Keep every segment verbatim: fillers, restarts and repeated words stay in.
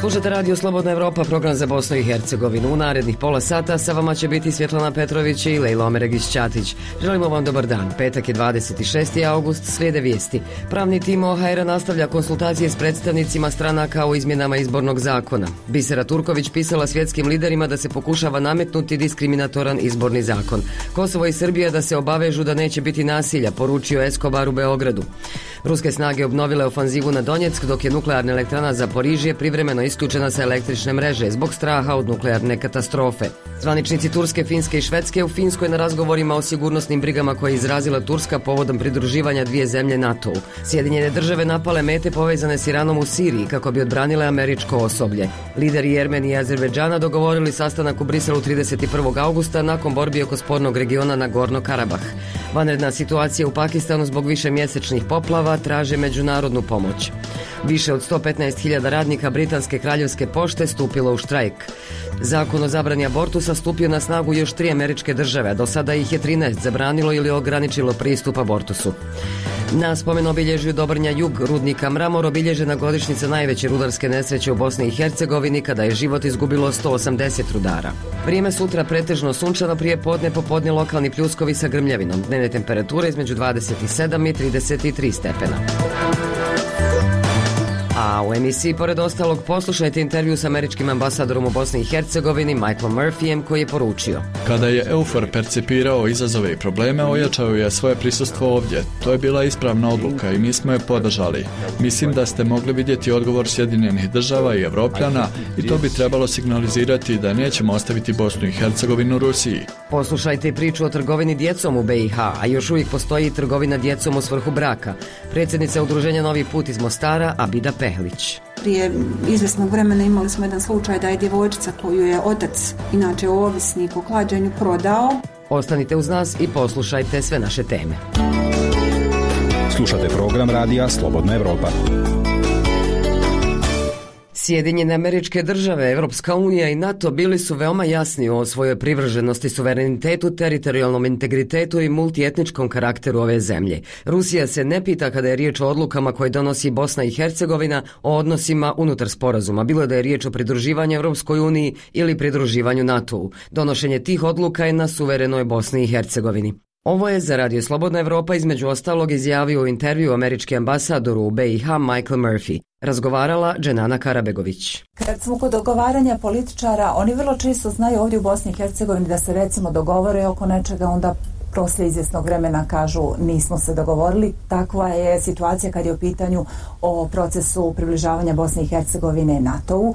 Slušate Radio Slobodna Evropa, program za Bosnu i Hercegovinu. U narednih pola sata sa vama će biti Svjetlana Petrović i Lejla Omeregić-Ćatić. Želimo vam dobar dan. Petak je dvadeset šesti august, slijede vijesti. Pravni tim O H R nastavlja konsultacije s predstavnicima stranaka o izmjenama izbornog zakona. Bisera Turković pisala svjetskim liderima da se pokušava nametnuti diskriminatoran izborni zakon. Kosovo i Srbija da se obavežu da neće biti nasilja, poručio Eskobar u Beogradu. Ruske snage obnovile ofanzivu na Donjeck, dok je nuklearna elektrana Zaporižje privremeno isključena sa električne mreže zbog straha od nuklearne katastrofe. Zvaničnici Turske, Finske i Švedske u Finskoj na razgovorima o sigurnosnim brigama koje je izrazila Turska povodom pridruživanja dvije zemlje NATO-u. Sjedinjene države napale mete povezane s Iranom u Siriji kako bi odbranile američko osoblje. Lideri Jermenije i Azerbejdžana dogovorili sastanak u Briselu trideset prvog augusta nakon borbi oko spornog regiona Nagorno-Karabah. Vanredna situacija u Pakistanu zbog višemjesečnih poplava traže međunarodnu pomoć. Više od sto petnaest hiljada radnika Britanske kraljevske pošte stupilo u štrajk. Zakon o zabrani abortusa stupio na snagu još tri američke države, a do sada ih je trinaest zabranilo ili ograničilo pristup abortusu. Na spomen obilježju Dobrnja Jug rudnika Mramor obilježena godišnjica najveće rudarske nesreće u Bosni i Hercegovini kada je život izgubilo sto osamdeset rudara. Vrijeme sutra pretežno sunčano, prije podne popodne lokalni pljuskovi sa grmljavinom. Dnevne temperature između dvadeset sedam i trideset tri stepena. A u emisiji, pored ostalog, poslušajte intervju s američkim ambasadorom u Bosni i Hercegovini Michaelom Murphyjem koji je poručio: Kada je EUFOR percipirao izazove i probleme, ojačao je svoje prisustvo ovdje. To je bila ispravna odluka i mi smo je podržali. Mislim da ste mogli vidjeti odgovor Sjedinjenih država i Evropljana i to bi trebalo signalizirati da nećemo ostaviti Bosnu i Hercegovinu Rusiji. Poslušajte i priču o trgovini djecom u B i H, a još uvijek postoji trgovina djecom u svrhu braka. Predsjednica udruženja Novi put iz Mostara, Abida Pehlić. Prije izvjesnog vremena imali smo jedan slučaj da je djevojčica koju je otac, inače ovisnik o klađenju, prodao. Ostanite uz nas i poslušajte sve naše teme. Slušate program radija Slobodna Evropa. Sjedinjene Američke Države, Evropska unija i NATO bili su veoma jasni o svojoj privrženosti suverenitetu, teritorijalnom integritetu i multietničkom karakteru ove zemlje. Rusija se ne pita kada je riječ o odlukama koje donosi Bosna i Hercegovina o odnosima unutar sporazuma, bilo da je riječ o pridruživanju Evropskoj uniji ili pridruživanju NATO-u. Donošenje tih odluka je na suverenoj Bosni i Hercegovini. Ovo je za Radio Slobodna Evropa između ostalog izjavio u intervju američki ambasadoru u B i H Michael Murphy. Razgovarala Dženana Karabegović. Kad smo kod dogovaranja političara, oni vrlo često znaju ovdje u Bosni i Hercegovini da se recimo dogovore oko nečega, onda poslije izvjesnog vremena kažu nismo se dogovorili. Takva je situacija kad je u pitanju o procesu približavanja Bosne i Hercegovine NATO-u.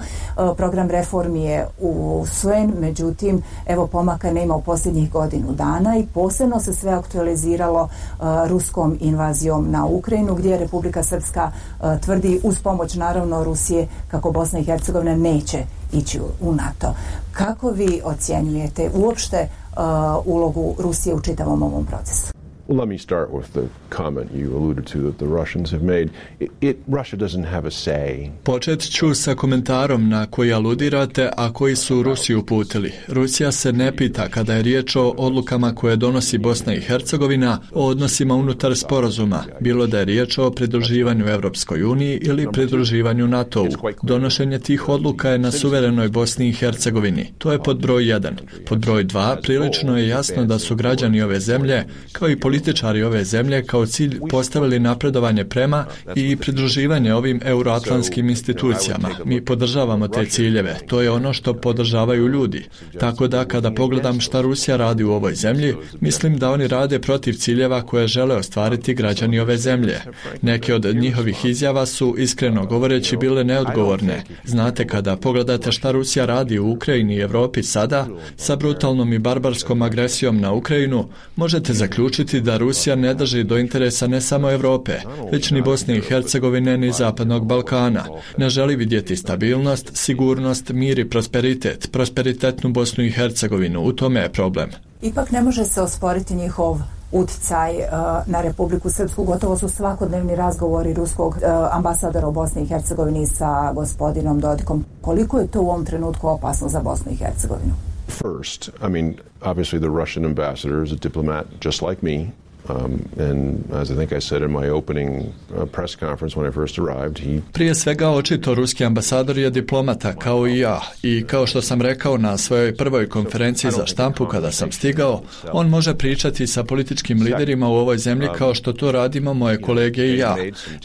Program reformi je usvojen, međutim, evo pomaka nema u posljednjih godinu dana i posebno se sve aktualiziralo uh, ruskom invazijom na Ukrajinu, gdje Republika Srpska uh, tvrdi uz pomoć naravno Rusije kako Bosna i Hercegovina neće ići u NATO. Kako vi ocjenjujete uopšte Uh, ulogu Rusije u čitavom ovom procesu? Well, let me start with the comment you alluded to that the Russians have made. It, it Russia doesn't have a say. Počet ću sa komentarom na koji aludirate, a koji su Rusiju uputili. Rusija se ne pita kada je riječ o odlukama koje donosi Bosna i Hercegovina o odnosima unutar sporazuma, bilo da je riječ o pridruživanju Evropskoj uniji ili pridruživanju NATO-u. Donošenje tih odluka je na suverenoj Bosni i Hercegovini. To je pod broj jedan. Pod broj dva, prilično je jasno da su građani ove zemlje, kao i političari Političari ove zemlje kao cilj postavili napredovanje prema i pridruživanje ovim euroatlantskim institucijama. Mi podržavamo te ciljeve. To je ono što podržavaju ljudi. Tako da kada pogledam šta Rusija radi u ovoj zemlji, mislim da oni rade protiv ciljeva koje žele ostvariti građani ove zemlje. Neke od njihovih izjava su, iskreno govoreći, bile neodgovorne. Znate, kada pogledate šta Rusija radi u Ukrajini i Evropi sada, sa brutalnom i barbarskom agresijom na Ukrajinu, možete zaključiti da Rusija ne drži do interesa ne samo Europe, već ni Bosne i Hercegovine ni Zapadnog Balkana. Ne želi vidjeti stabilnost, sigurnost, mir i prosperitet, prosperitetnu Bosnu i Hercegovinu. U tome je problem. Ipak ne može se osporiti njihov utjecaj uh, na Republiku Srpsku. Gotovo su svakodnevni razgovori ruskog uh, ambasadora u Bosni i Hercegovini sa gospodinom Dodikom. Koliko je to u ovom trenutku opasno za Bosnu i Hercegovinu? first. I mean, obviously the Russian ambassador is a diplomat just like me. Um, and as I think I said in my opening uh, press conference when I first arrived, he... Prije svega očito ruski ambasador je diplomata kao i ja i kao što sam rekao na svojoj prvoj konferenciji za štampu kada sam stigao, on može pričati sa političkim liderima u ovoj zemlji kao što to radimo moje kolege i ja.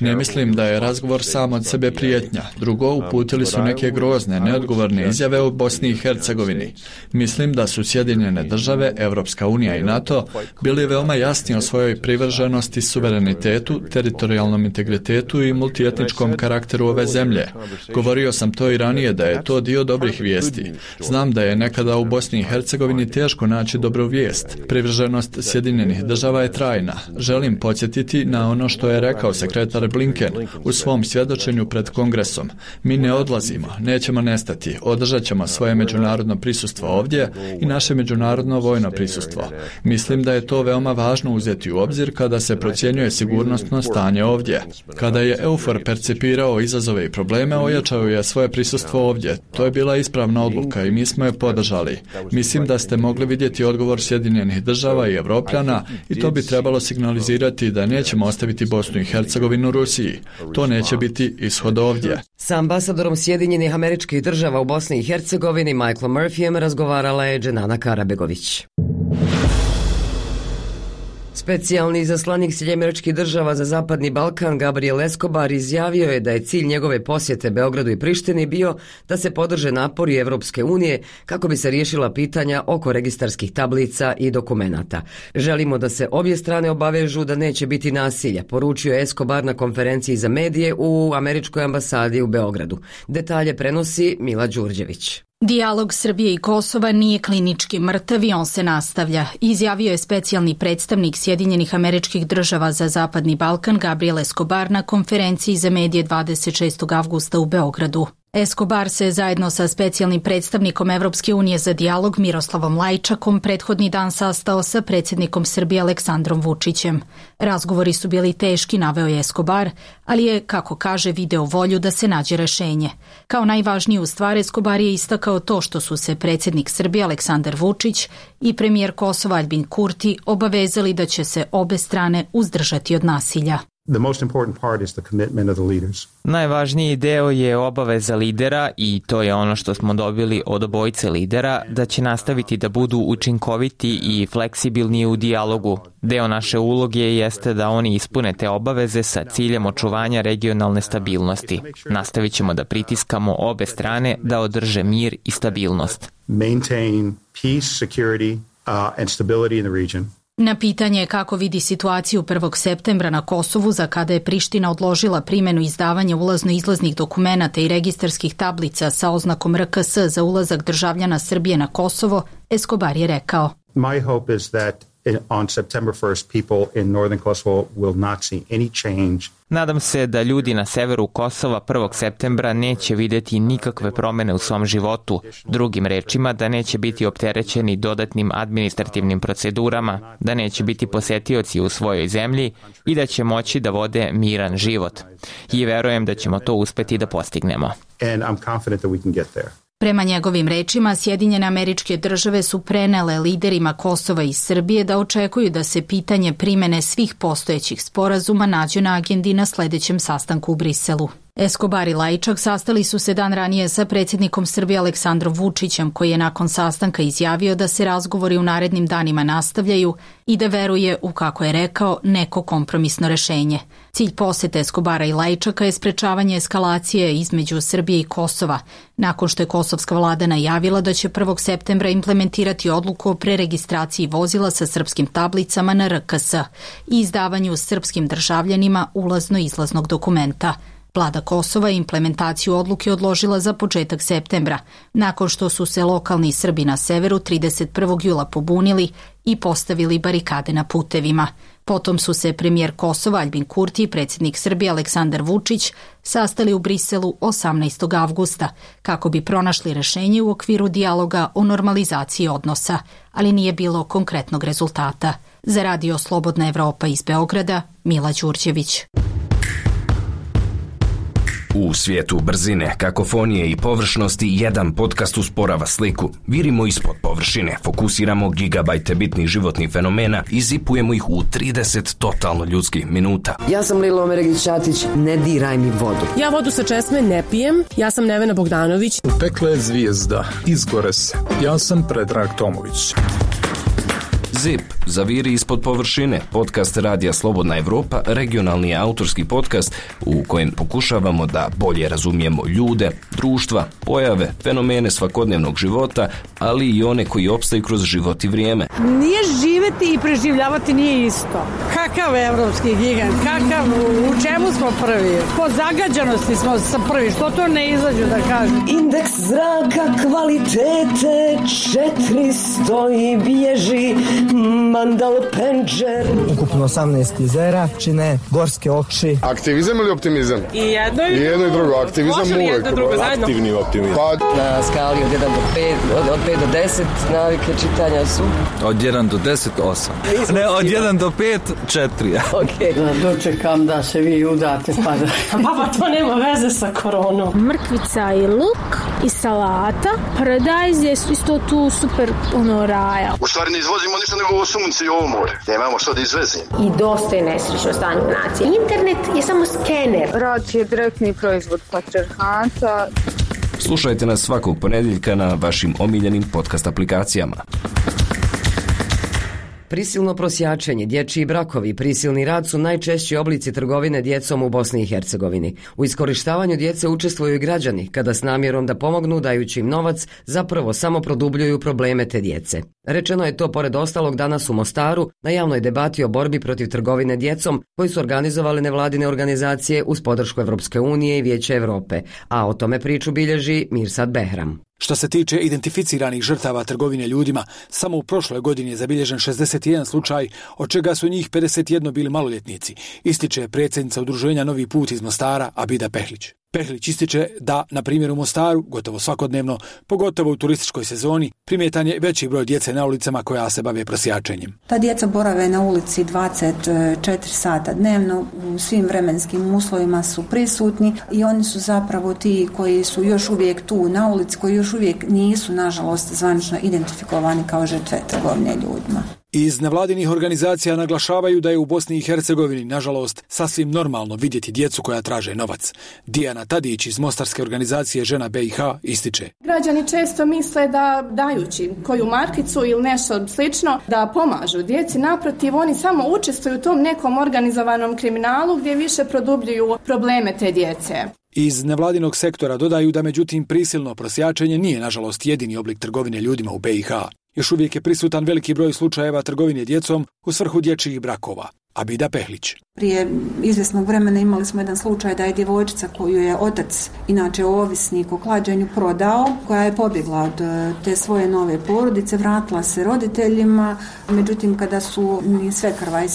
Ne mislim da je razgovor sam od sebe prijetnja. Drugo, uputili su neke grozne, neodgovorne izjave o Bosni i Hercegovini. Mislim da su Sjedinjene države, Evropska unija i NATO bili veoma jasni o svojoj privrženosti suverenitetu, teritorijalnom integritetu i multietničkom karakteru ove zemlje. Govorio sam to i ranije da je to dio dobrih vijesti. Znam da je nekada u Bosni i Hercegovini teško naći dobru vijest. Privrženost Sjedinjenih država je trajna. Želim podsjetiti na ono što je rekao sekretar Blinken u svom svjedočenju pred Kongresom. Mi ne odlazimo, nećemo nestati, održat ćemo svoje međunarodno prisustvo ovdje i naše međunarodno vojno prisustvo. Mislim da je to veoma važno uzeti u obzir kada se procjenjuje sigurnosno stanje ovdje. Kada je EUFOR percipirao izazove i probleme, ojačao je svoje prisustvo ovdje. To je bila ispravna odluka i mi smo je podržali. Mislim da ste mogli vidjeti odgovor Sjedinjenih država i Evropljana i to bi trebalo signalizirati da nećemo ostaviti Bosnu i Hercegovinu Rusiji. To neće biti ishod ovdje. Sa ambasadorom Sjedinjenih Američkih Država u Bosni i Hercegovini Michaelom Murphyjem razgovarala je Dženana Karabegović. Specijalni izaslanik Sjedinjenih Američkih Država za Zapadni Balkan Gabriel Escobar izjavio je da je cilj njegove posjete Beogradu i Prištini bio da se podrže napori Evropske unije kako bi se riješila pitanja oko registarskih tablica i dokumenata. Želimo da se obje strane obavežu da neće biti nasilja, poručio je Escobar na konferenciji za medije u Američkoj ambasadi u Beogradu. Detalje prenosi Mila Đurđević. Dijalog Srbije i Kosova nije klinički mrtav i on se nastavlja, izjavio je specijalni predstavnik Sjedinjenih Američkih Država za Zapadni Balkan Gabriel Escobar na konferenciji za medije dvadeset šestog avgusta u Beogradu. Escobar se zajedno sa specijalnim predstavnikom Evropske unije za dijalog Miroslavom Lajčakom prethodni dan sastao sa predsjednikom Srbije Aleksandrom Vučićem. Razgovori su bili teški, naveo je Escobar, ali je, kako kaže, video volju da se nađe rešenje. Kao najvažniju stvar Escobar je istakao to što su se predsjednik Srbije Aleksandar Vučić i premijer Kosova Aljbin Kurti obavezali da će se obe strane uzdržati od nasilja. The most important part is the commitment of the leaders. Najvažniji deo je obaveza lidera i to je ono što smo dobili od obojice lidera, da će nastaviti da budu učinkoviti i fleksibilni u dijalogu. Deo naše uloge jeste da oni ispune te obaveze sa ciljem očuvanja regionalne stabilnosti. Nastavit ćemo da pritiskamo obe strane da održe mir i stabilnost. Maintain peace, security, uh, and stability in the region. Na pitanje kako vidi situaciju prvog septembra na Kosovu, za kada je Priština odložila primjenu izdavanja ulazno-izlaznih dokumenata i registarskih tablica sa oznakom R K S za ulazak državljana Srbije na Kosovo, Escobar je rekao: My hope is that on September first people in northern Kosovo will not see any change. Nadam se da ljudi na severu Kosova prvog septembra neće vidjeti nikakve promjene u svom životu, drugim rečima da neće biti opterećeni dodatnim administrativnim procedurama, da neće biti posjetioci u svojoj zemlji i da će moći da vode miran život. I verujem da ćemo to uspjeti da postignemo. And I'm confident that we can get there. Prema njegovim rečima, Sjedinjene Američke Države su prenele liderima Kosova i Srbije da očekuju da se pitanje primjene svih postojećih sporazuma nađe na agendi na sljedećem sastanku u Briselu. Escobar i Lajčak sastali su se dan ranije sa predsjednikom Srbije Aleksandrom Vučićem, koji je nakon sastanka izjavio da se razgovori u narednim danima nastavljaju i da veruje u, kako je rekao, neko kompromisno rešenje. Cilj posete Escobara i Lajčaka je sprečavanje eskalacije između Srbije i Kosova, nakon što je kosovska vlada najavila da će prvog septembra implementirati odluku o preregistraciji vozila sa srpskim tablicama na R K S i izdavanju srpskim državljanima ulazno-izlaznog dokumenta. Vlada Kosova je implementaciju odluke odložila za početak septembra, nakon što su se lokalni Srbi na severu trideset prvog jula pobunili i postavili barikade na putevima. Potom su se premijer Kosova Aljbin Kurti i predsjednik Srbije Aleksandar Vučić sastali u Briselu osamnaestog avgusta kako bi pronašli rešenje u okviru dijaloga o normalizaciji odnosa, ali nije bilo konkretnog rezultata. Za Radio Slobodna Evropa iz Beograda, Mila Đurđević. U svijetu brzine, kakofonije i površnosti jedan podcast usporava sliku. Virimo ispod površine, fokusiramo gigabajte bitnih životnih fenomena i zipujemo ih u trideset totalno ljudskih minuta. Ja sam Lila Omeregić-Ćatić, ne diraj mi vodu. Ja vodu sa česme ne pijem, ja sam Nevena Bogdanović. U pekle zvijezda, izgore se. Ja sam Predrag Tomović. Zip, zaviri ispod površine, podcast Radija Slobodna Evropa, regionalni autorski podcast u kojem pokušavamo da bolje razumijemo ljude, društva, pojave, fenomene svakodnevnog života, ali i one koji opstaju kroz život i vrijeme. Nije živeti i preživljavati nije isto. Kakav evropski gigant, kakav, u čemu smo prvi? Po zagađanosti smo sa prvi, što to ne izađu da kažu? Indeks zraka kvalitete četiristo i bježi Mandal Penđer. Ukupno osamnaest jezera čine gorske oči. Aktivizam ili optimizam? I jedno i, I jedno i drugo. Aktivizam uvijek. Aktivni optimizam. Pa, na skali od jedan do pet, od, od pet do deset navike čitanja su? Od jedan do deset, osam. Ne, od jedan do pet, četiri. Ok. Da dočekam da se vi udate pa da... Baba, to nema veze sa koronom. Mrkvica i luk i salata. Paradajz je isto tu super ono raja. U stvari ne izvozimo ništa nego ovo sunce i ovo more. Nemamo što da izvezimo. I dosta je nesrećno stanje u naciji. Internet je samo skener. Rad je direktni proizvod patrijarhata. Slušajte nas svakog ponedjeljka na vašim omiljenim podcast aplikacijama. Prisilno prosjačenje, dječji brakovi i prisilni rad su najčešći oblici trgovine djecom u Bosni i Hercegovini. U iskorištavanju djece učestvuju i građani, kada s namjerom da pomognu dajući im novac, zapravo samo produbljuju probleme te djece. Rečeno je to pored ostalog danas u Mostaru na javnoj debati o borbi protiv trgovine djecom koji su organizovale nevladine organizacije uz podršku Evropske unije i Vijeća Europe, a o tome priču bilježi Mirsad Behram. Što se tiče identificiranih žrtava trgovine ljudima, samo u prošloj godini je zabilježen šezdeset jedan slučaj, od čega su njih pedeset jedan bili maloljetnici, ističe predsjednica udruženja Novi put iz Mostara Abida Pehlić. Pehlić ističe da, na primjer u Mostaru, gotovo svakodnevno, pogotovo u turističkoj sezoni, primjetan je veći broj djece na ulicama koja se bave prosjačenjem. Ta djeca borave na ulici dvadeset četiri sata dnevno, u svim vremenskim uslovima su prisutni i oni su zapravo ti koji su još uvijek tu na ulici, koji još uvijek nisu, nažalost, zvanično identifikovani kao žrtve trgovine ljudima. Iz nevladinih organizacija naglašavaju da je u Bosni i Hercegovini, nažalost, sasvim normalno vidjeti djecu koja traže novac. Dijana Tadić iz mostarske organizacije Žena B i H ističe. Građani često misle da dajući koju markicu ili nešto slično da pomažu djeci, naprotiv oni samo učestvuju u tom nekom organizovanom kriminalu gdje više produbljuju probleme te djece. Iz nevladinog sektora dodaju da međutim prisilno prosjačenje nije nažalost jedini oblik trgovine ljudima u B i H. Još uvijek je prisutan veliki broj slučajeva trgovine djecom u svrhu dječjih brakova. Abida Pehlić. Prije izvjesnog vremena imali smo jedan slučaj da je djevojčica koju je otac, inače ovisnik o klađenju, prodao, koja je pobjegla od te svoje nove porodice, vratila se roditeljima, međutim kada su ni Svekrva i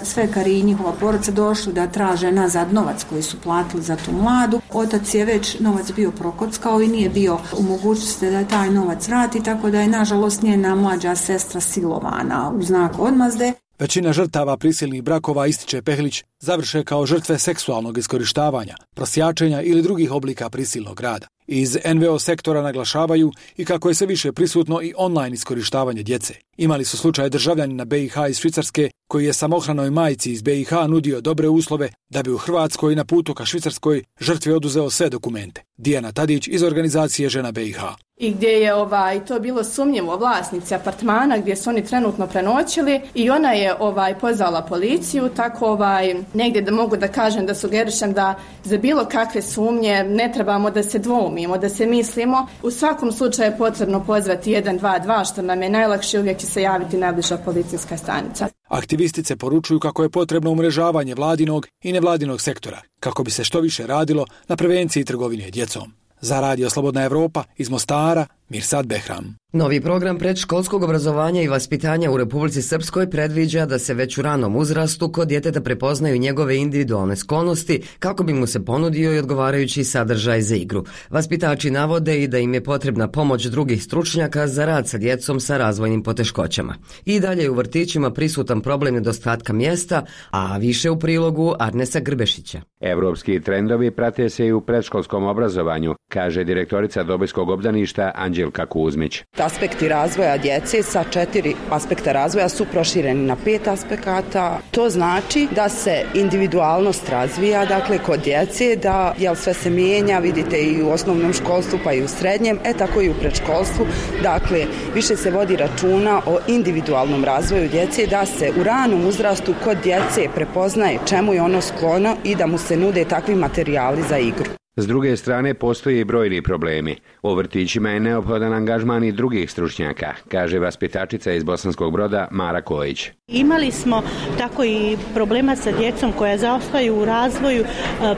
Svekari i njihova porodica došli da traže nazad novac koji su platili za tu mladu, otac je već novac bio prokockao i nije bio u mogućnosti da taj novac vrati, tako da je nažalost njena mlađa sestra silovana u znak odmazde. Većina žrtava prisilnih brakova, ističe Pehlić, završe kao žrtve seksualnog iskorištavanja, prosjačenja ili drugih oblika prisilnog rada. Iz en ve o sektora naglašavaju i kako je sve više prisutno i online iskorištavanje djece. Imali su slučaj državljanina B i H iz Švicarske koji je samohranoj majci iz B i H nudio dobre uslove da bi u Hrvatskoj na putu ka Švicarskoj žrtvi oduzeo sve dokumente. Dijana Tadić iz organizacije Žena B i H. I gdje je ovaj, to bilo sumnjivo vlasnici apartmana gdje su oni trenutno prenoćili i ona je ovaj, pozvala policiju, tako ovaj, negdje da mogu da kažem da sugerišem da za bilo kakve sumnje ne trebamo da se dvoumimo, da se mislimo. U svakom slučaju je potrebno pozvati jedan dva dva, što nam je najlakše, uvijek će se javiti najbliža policijska stanica. Aktivistice poručuju kako je potrebno umrežavanje vladinog i nevladinog sektora, kako bi se što više radilo na prevenciji trgovine djecom. Za Radio Slobodna Evropa iz Mostara, Mirsad Behram. Novi program predškolskog obrazovanja i vaspitanja u Republici Srpskoj predviđa da se već u ranom uzrastu kod djeteta prepoznaju njegove individualne sklonosti kako bi mu se ponudio i odgovarajući sadržaj za igru. Vaspitači navode i da im je potrebna pomoć drugih stručnjaka za rad sa djecom sa razvojnim poteškoćama. I dalje je u vrtićima prisutan problem nedostatka mjesta, a više u prilogu Arnesa Grbešića. Evropski trendovi prate se i u predškolskom obrazovanju, kaže direktorica Dobojskog obdaništa Anđelka Kuzmić. Aspekti razvoja djece sa četiri aspekta razvoja su prošireni na pet aspekata. To znači da se individualnost razvija, dakle kod djece, da jel sve se mijenja, vidite i u osnovnom školstvu pa i u srednjem, e tako i u predškolstvu. Dakle, više se vodi računa o individualnom razvoju djece, da se u ranom uzrastu kod djece prepoznaje čemu je ono sklono i da mu se nude takvi materijali za igru. S druge strane, postoje i brojni problemi. U vrtićima je neophodan angažman i drugih stručnjaka, kaže vaspitačica iz Bosanskog Broda Mara Kojić. Imali smo tako i problema sa djecom koja zaostaju u razvoju,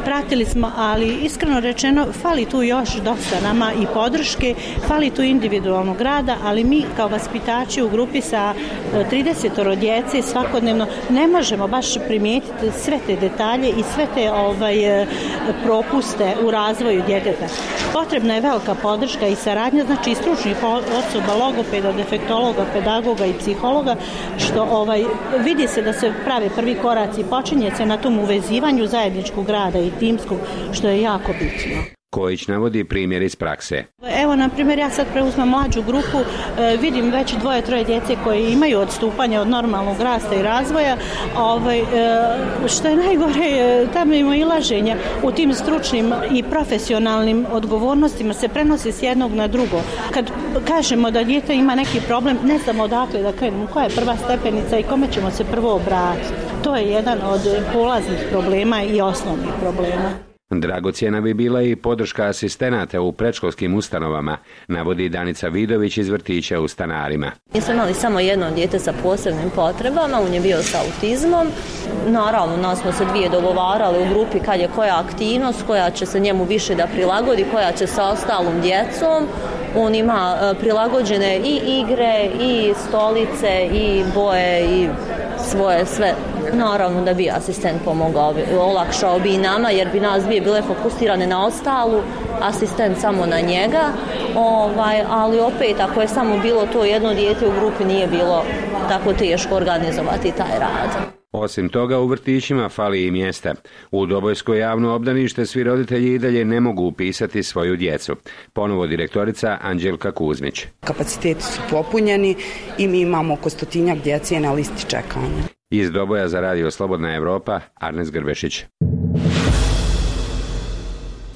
pratili smo, ali iskreno rečeno fali tu još dosta nama i podrške, fali tu individualnog rada, ali mi kao vaspitači u grupi sa trideset djece svakodnevno ne možemo baš primijetiti sve te detalje i sve te ovaj, propuste u razvoju djeteta. Potrebna je velika podrška i saradnja, znači i stručnih osoba, logopeda, defektologa, pedagoga i psihologa, što ovaj, vidi se da se prave prvi koraci, počinje se na tom uvezivanju zajedničkog rada i timskog, što je jako bitno. Kojić navodi primjer iz prakse. Evo, na primjer, ja sad preuzmem mlađu grupu, e, vidim već dvoje, troje djece koje imaju odstupanja od normalnog rasta i razvoja, ovaj, e, što je najgore, e, tamo ima ilaženja u tim stručnim i profesionalnim odgovornostima se prenosi s jednog na drugo. Kad kažemo da dijete ima neki problem, ne znamo odakle da krenemo, koja je prva stepenica i kome ćemo se prvo obratiti. To je jedan od polaznih problema i osnovnih problema. Dragocjena bi bila i podrška asistenata u predškolskim ustanovama, navodi Danica Vidović iz vrtića u Stanarima. Mi smo imali samo jedno dijete sa posebnim potrebama, on je bio sa autizmom. Naravno, nas smo se dvije dogovarali u grupi kad je koja aktivnost, koja će se njemu više da prilagodi, koja će sa ostalom djecom. On ima prilagođene i igre, i stolice, i boje, i svoje sve. Naravno da bi asistent pomogao, olakšao bi i nama, jer bi nas dvije bile fokusirane na ostalu, asistent samo na njega, ovaj, ali opet ako je samo bilo to jedno dijete u grupi nije bilo tako teško organizovati taj rad. Osim toga, u vrtićima fali i mjesta. U Dobojsko javno obdanište svi roditelji i dalje ne mogu upisati svoju djecu. Ponovo direktorica Anđelka Kuzmić. Kapaciteti su popunjeni i mi imamo oko stotinjak djece na listi čekanja. Iz Doboja za Radio Slobodna Evropa, Arnes Grbešić.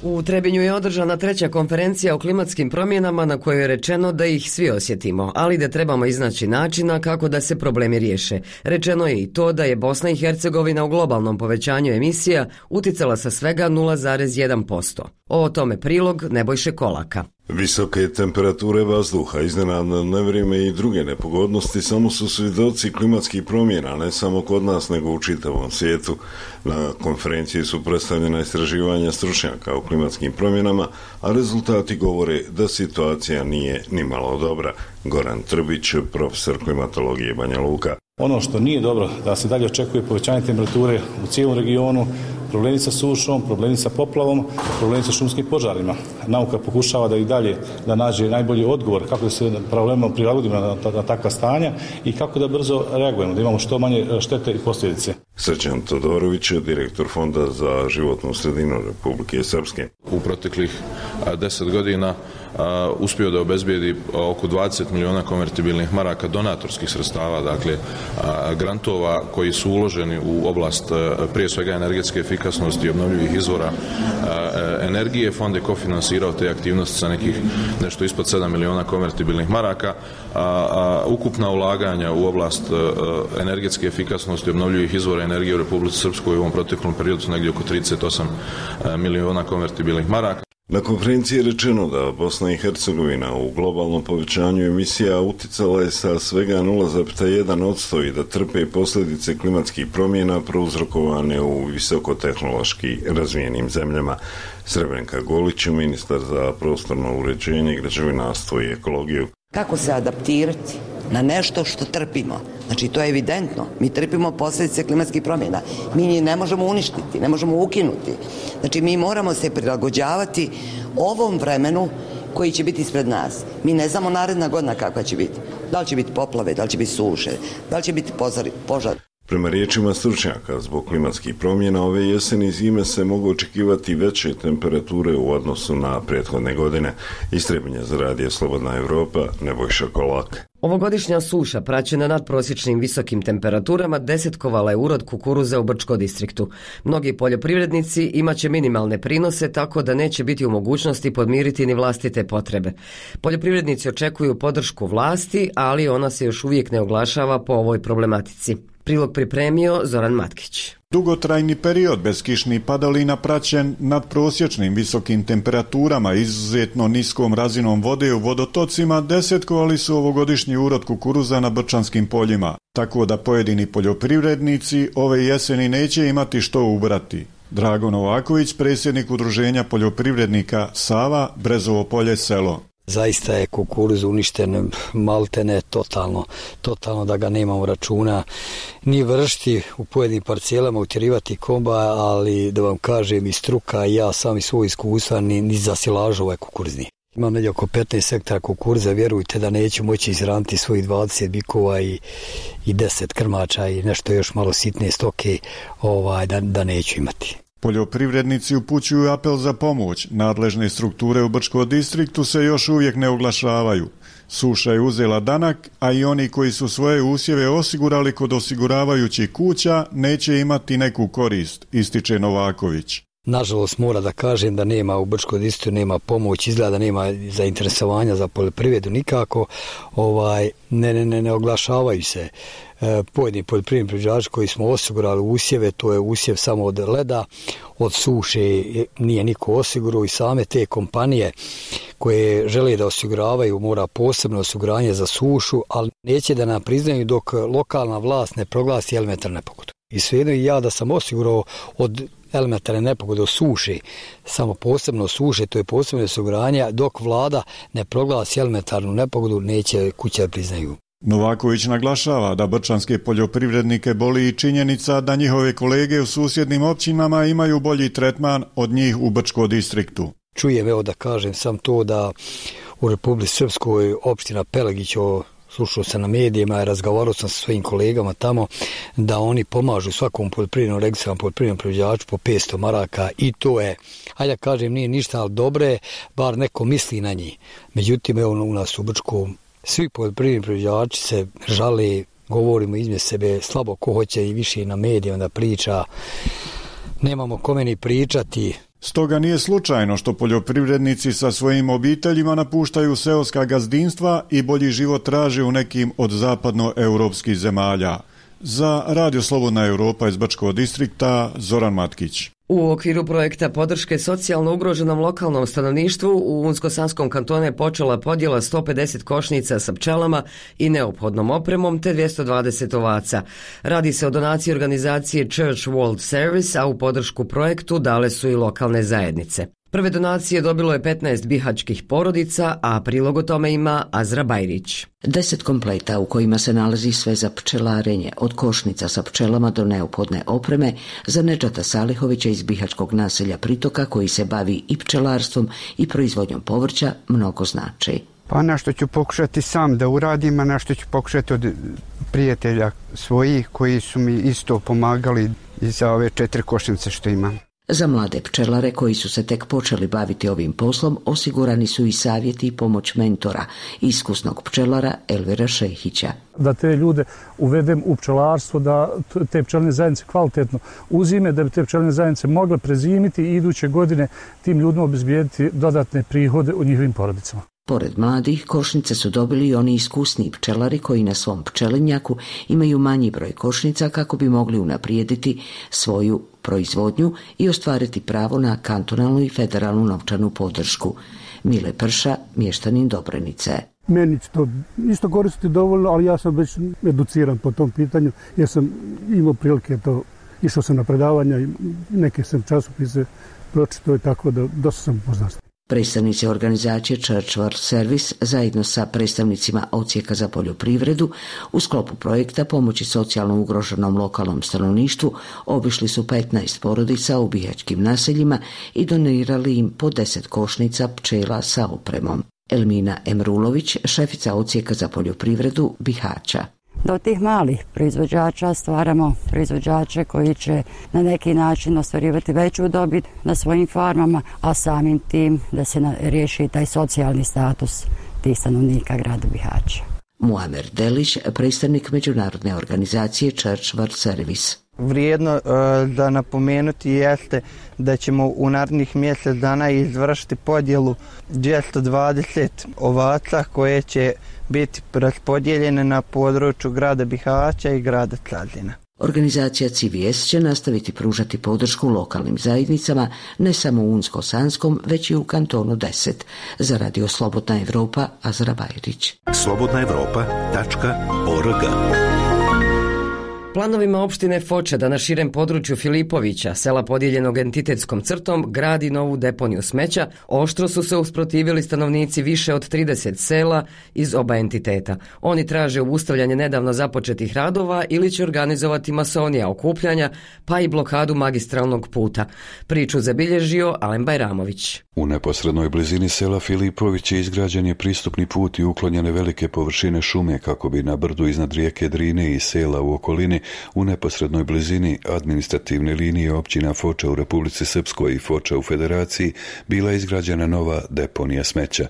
U Trebinju je održana treća konferencija o klimatskim promjenama na kojoj je rečeno da ih svi osjetimo, ali da trebamo iznaći načina kako da se problemi riješe. Rečeno je i to da je Bosna i Hercegovina u globalnom povećanju emisija uticala sa svega nula zarez jedan posto. O tome prilog Nebojše Kolaka. Visoke temperature vazduha, iznenadno nevrijeme i druge nepogodnosti samo su svjedoci klimatskih promjena, ne samo kod nas nego u čitavom svijetu. Na konferenciji su predstavljena istraživanja stručnjaka o klimatskim promjenama, a rezultati govore da situacija nije nimalo dobra. Goran Trbić, profesor klimatologije Banja Luka. Ono što nije dobro, da se dalje očekuje povećanje temperature u cijelom regionu, problemi sa sušom, problemi sa poplavom, problemi sa šumskim požarima. Nauka pokušava da i dalje da nađe najbolji odgovor kako da se problemom prilagodimo na, na, na takva stanja i kako da brzo reagujemo, da imamo što manje štete i posljedice. Srđan Todorović, direktor Fonda za životnu sredinu Republike Srpske. U proteklih deset godina a, uspio da obezbijedi oko dvadeset miliona konvertibilnih maraka donatorskih sredstava, dakle a, grantova koji su uloženi u oblast a, prije svega energetske efikasnosti i obnovljivih izvora a, energije. Fond je kofinansirao te aktivnosti sa nekih nešto ispod sedam miliona konvertibilnih maraka. A, a, ukupna ulaganja u oblast a, energetske efikasnosti i obnovljivih izvora energije u Republici Srpskoj u ovom proteklom periodu su negdje oko trideset osam miliona konvertibilnih maraka. Na konferenciji je rečeno da Bosna i Hercegovina u globalnom povećanju emisija uticala je sa svega nula zarez jedan posto i da trpe posljedice klimatskih promjena prouzrokovane u visokotehnološki razvijenim zemljama. Srebrnka Golić, ministar za prostorno uređenje, građevinarstvo i ekologiju. Kako se adaptirati na nešto što trpimo? Znači, to je evidentno. Mi trpimo posljedice klimatskih promjena. Mi njih ne možemo uništiti, ne možemo ukinuti. Znači, mi moramo se prilagođavati ovom vremenu koji će biti ispred nas. Mi ne znamo naredna godina kakva će biti. Da li će biti poplave, da li će biti suše, da li će biti požar. Prema riječima stručnjaka, zbog klimatskih promjena ove jeseni i zime se mogu očekivati veće temperature u odnosu na prethodne godine. Istrebljenje za Radio Slobodna Evropa, Nebojša Kolak. Ovogodišnja suša, praćena nadprosječnim visokim temperaturama, desetkovala je urod kukuruza u Brčko distriktu. Mnogi poljoprivrednici imaće minimalne prinose, tako da neće biti u mogućnosti podmiriti ni vlastite potrebe. Poljoprivrednici očekuju podršku vlasti, ali ona se još uvijek ne oglašava po ovoj problematici. Prilog pripremio Zoran Matkić. Dugotrajni period bez kišnih padalina praćen nadprosječnim visokim temperaturama i izuzetno niskom razinom vode u vodotocima desetkovali su ovogodišnji urod kukuruza na brčanskim poljima, tako da pojedini poljoprivrednici ove jeseni neće imati što ubrati. Drago Novaković, predsjednik udruženja poljoprivrednika Sava, Brezovo polje selo. Zaista je kukuruz uništen maltene totalno, totalno da ga nemamo računa ni vršti u pojedinim parcelama, utjerivati komba, ali da vam kažem i struka i ja sami svoj iskustva ni, ni za silažu ovaj kukuruzni. Imam negdje oko petnaest hektara kukuruza, vjerujte da neću moći izraniti svojih dvadeset bikova i, i deset krmača i nešto još malo sitne stoke ovaj, da, da neću imati. Poljoprivrednici upućuju apel za pomoć. Nadležne strukture u Brčkom distriktu se još uvijek ne oglašavaju. Suša je uzela danak, a i oni koji su svoje usjeve osigurali kod osiguravajućih kuća neće imati neku korist, ističe Novaković. Nažalost, mora da kažem da nema u Brčkom distriktu, nema pomoć, izgleda da nema zainteresovanja za poljoprivredu nikako, ovaj, ne, ne, ne, ne oglašavaju se. E, pojedini poljoprivredni proizvođači koji smo osigurali usjeve, to je usjev samo od leda, od suše nije niko osigurao i same te kompanije koje žele da osiguravaju mora posebno osiguranje za sušu, ali neće da nam priznaju dok lokalna vlast ne proglasi elementarnu nepogodu. I svejedno i ja da sam osigurao od elementarne nepogode od suše, samo posebno suše, to je posebno osiguranje, dok vlada ne proglasi elementarnu nepogodu, neće kuće da priznaju. Novaković naglašava da brčanske poljoprivrednike boli i činjenica da njihove kolege u susjednim općinama imaju bolji tretman od njih u Brčkom distriktu. Čujem, evo da kažem sam to da u Republici Srpskoj opština Pelegić, slušao sam na medijima i razgovarao sam sa svojim kolegama tamo da oni pomažu svakom poljoprivrednom registrovanom poljoprivrednom proizvođaču po petsto maraka i to je, hajde da kažem, nije ništa, ali dobre, bar neko misli na njih. Međutim, evo u nas u Brčkom svi poljoprivredni proizvođači se žale, govorimo između sebe, slabo ko hoće i više na medijima da priča, nemamo kome ni pričati. Stoga nije slučajno što poljoprivrednici sa svojim obiteljima napuštaju seoska gazdinstva i bolji život traže u nekim od zapadnoeuropskih zemalja. Za Radio Slobodna Evropa iz Brčkog distrikta, Zoran Matkić. U okviru projekta podrške socijalno ugroženom lokalnom stanovništvu u Unsko-Sanskom kantonu je počela podjela sto pedeset košnica sa pčelama i neophodnom opremom te dvjesto dvadeset ovaca. Radi se o donaciji organizacije Church World Service, a u podršku projektu dale su i lokalne zajednice. Prve donacije dobilo je petnaest bihaćkih porodica, a prilog o tome ima Azra Bajrić. Deset kompleta u kojima se nalazi sve za pčelarenje, od košnica sa pčelama do neophodne opreme, za Nedžata Salihovića iz bihaćkog naselja Pritoka, koji se bavi i pčelarstvom i proizvodnjom povrća, mnogo znači. Pa nešto ću pokušati sam da uradim, a nešto ću pokušati od prijatelja svojih koji su mi isto pomagali i za ove četiri košnice što imam. Za mlade pčelare koji su se tek počeli baviti ovim poslom osigurani su i savjeti i pomoć mentora, iskusnog pčelara Elvira Šehića. Da te ljude uvedem u pčelarstvo, da te pčelne zajednice kvalitetno uzime, da bi te pčelne zajednice mogle prezimiti i iduće godine tim ljudima obezbijediti dodatne prihode u njihovim porodicama. Pored mladih, košnice su dobili i oni iskusni pčelari koji na svom pčelinjaku imaju manji broj košnica kako bi mogli unaprijediti svoju proizvodnju i ostvariti pravo na kantonalnu i federalnu novčanu podršku. Mile Prša, mještanin Dobrenice. Meni će to isto koristiti dovoljno, ali ja sam već educiran po tom pitanju jer sam imao prilike to, išao sam na predavanja i neke sam časopise pročitao i tako da dosta sam poznat. Predstavnici organizacije Church World Service zajedno sa predstavnicima Odsjeka za poljoprivredu u sklopu projekta pomoći socijalno ugroženom lokalnom stanovništvu obišli su petnaest porodica u bihaćkim naseljima i donirali im po deset košnica pčela sa opremom. Elmina Emrulović, šefica Odsjeka za poljoprivredu Bihaća. Do tih malih proizvođača stvaramo proizvođače koji će na neki način ostvarivati veću dobit na svojim farmama, a samim tim da se riješi taj socijalni status tih stanovnika grada Bihaća. Muamer Delić, predstavnik međunarodne organizacije Church World Service. Vrijedno uh, da napomenuti jeste da ćemo u narednih mjesec dana izvršiti podjelu dvjesto dvadeset ovaca koje će biti raspodijeljene na području grada Bihaća i grada Cazina. Organizacija C V S će nastaviti pružati podršku lokalnim zajednicama ne samo u Unsko-Sanskom, već i u kantonu deset. Za Radio Slobodna Evropa, Azra Bajrić. slobodna evropa tačka org. Planovima opštine Foča da na širem području Filipovića, sela podijeljenog entitetskom crtom, gradi novu deponiju smeća, oštro su se usprotivili stanovnici više od trideset sela iz oba entiteta. Oni traže ustavljanje nedavno započetih radova ili će organizovati masonija okupljanja, pa i blokadu magistralnog puta. Priču zabilježio Alen Bajramović. U neposrednoj blizini sela Filipović izgrađen je pristupni put i uklonjene velike površine šume kako bi na brdu iznad rijeke Drine i sela u okolini u neposrednoj blizini administrativne linije općina Foča u Republici Srpskoj i Foča u Federaciji bila izgrađena nova deponija smeća.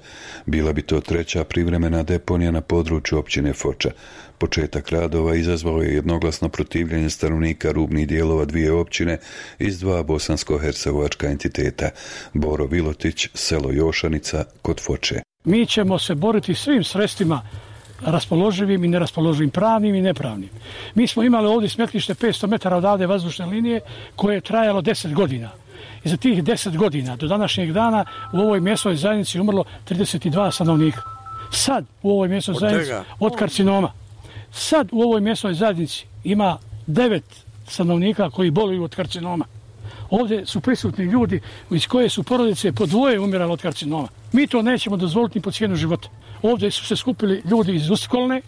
Bila bi to treća privremena deponija na području općine Foča. Početak radova izazvao je jednoglasno protivljenje stanovnika rubnih dijelova dvije općine iz dva bosansko-hercegovačka entiteta, Boro Vilotić, selo Jošanicca kod Foče. Mi ćemo se boriti svim sredstvima raspoloživim i neraspoloživim, pravnim i nepravnim. Mi smo imali ovdje smetlište petsto metara odavde vazdušne linije koje je trajalo deset godina. I za tih deset godina do današnjeg dana u ovoj mjesnoj zajednici umrlo trideset dva stanovnika. Sad u ovoj mjesnoj zajednici od karcinoma. Sad u ovoj mjesnoj zajednici ima devet stanovnika koji boluju od karcinoma. Ovdje su prisutni ljudi iz koje su porodice po dvoje umirali od karcinoma. Mi to nećemo dozvoliti po cijenu života. Ovdje su se skupili ljudi iz Ustikolne,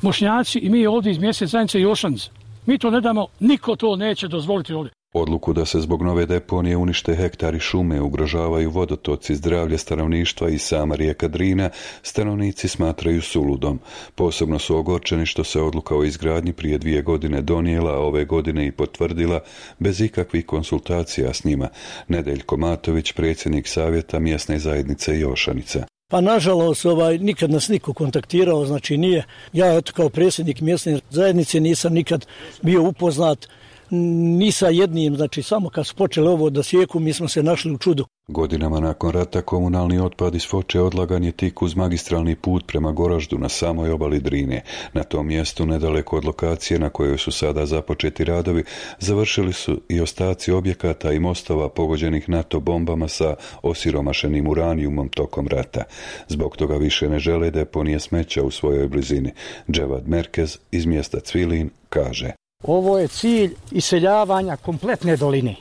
Bošnjaci i mi ovdje iz mjesne zajednice Jošanca. Mi to ne damo, niko to neće dozvoliti ovdje. Odluku da se zbog nove deponije unište hektari šume, ugrožavaju vodotoci, zdravlje stanovništva i sama rijeka Drina, stanovnici smatraju suludom. Posebno su ogorčeni što se odluka o izgradnji prije dvije godine donijela, a ove godine i potvrdila bez ikakvih konsultacija s njima. Nedeljko Matović, predsjednik savjeta mjesne zajednice Jošanicca. Pa nažalost, ovaj, nikad nas niko kontaktirao, znači nije. Ja eto, kao predsjednik mjesne zajednice nisam nikad bio upoznat ni sa jednim, znači samo kad su počeli ovo da sjeku, mi smo se našli u čudu. Godinama nakon rata komunalni otpad iz Foče odlagan je tik uz magistralni put prema Goraždu na samoj obali Drine. Na tom mjestu, nedaleko od lokacije na kojoj su sada započeti radovi, završili su i ostaci objekata i mostova pogođenih NATO bombama sa osiromašenim uranijumom tokom rata. Zbog toga više ne žele deponije smeća u svojoj blizini. Dževad Merkez iz mjesta Cvilin kaže: ovo je cilj iseljavanja kompletne doline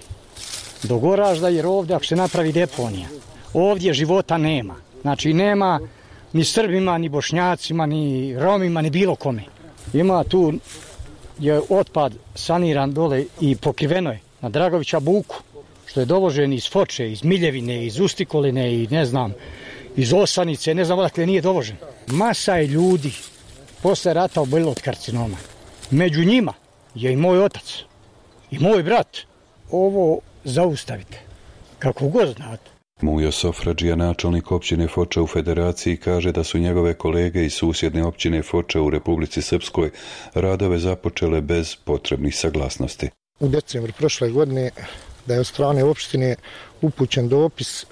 do Goražda, jer ovdje ako se napravi deponija, ovdje života nema. Znači nema ni Srbima, ni Bošnjacima, ni Romima, ni bilo kome. Ima tu je otpad saniran dole i pokriveno je na Dragovića buku, što je dovožen iz Foče, iz Miljevine, iz Ustikoline i ne znam, iz Osanice, ne znam odakle nije dovožen. Masa je ljudi posle rata oboljela od karcinoma. Među njima je i moj otac, i moj brat. Ovo zaustavite, kako god znate. Mujo Sofradžija, načelnik općine Foča u Federaciji, kaže da su njegove kolege iz susjedne općine Foča u Republici Srpskoj radove započele bez potrebnih saglasnosti. U decembru prošle godine da je od strane opštine upućen dopis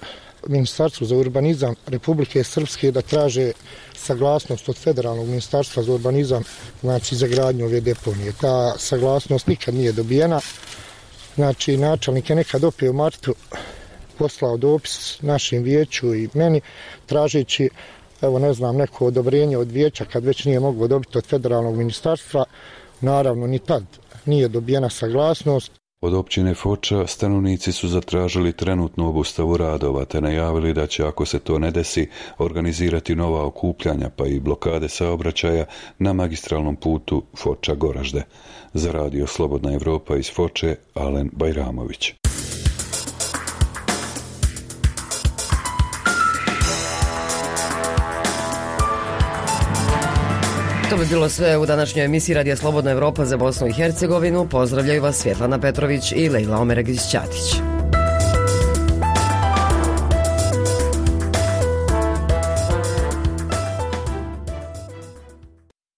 Ministarstvu za urbanizam Republike Srpske da traže saglasnost od Federalnog ministarstva za urbanizam, znači za gradnju ove deponije. Ta saglasnost nikad nije dobijena. Znači, načelnik je nekad opet u martu poslao dopis našem vijeću i meni, tražeći, evo ne znam, neko odobrenje od vijeća kad već nije moglo dobiti od Federalnog ministarstva. Naravno, ni tad nije dobijena saglasnost. Od općine Foča stanovnici su zatražili trenutnu obustavu radova te najavili da će, ako se to ne desi, organizirati nova okupljanja pa i blokade saobraćaja na magistralnom putu Foča-Goražde. Za radio Slobodna Evropa iz Foče, Alen Bajramović. To bi bilo sve u današnjoj emisiji Radija Slobodna Evropa za Bosnu i Hercegovinu. Pozdravljaju vas Svjetlana Petrović i Lejla Omeregić-Ćatić.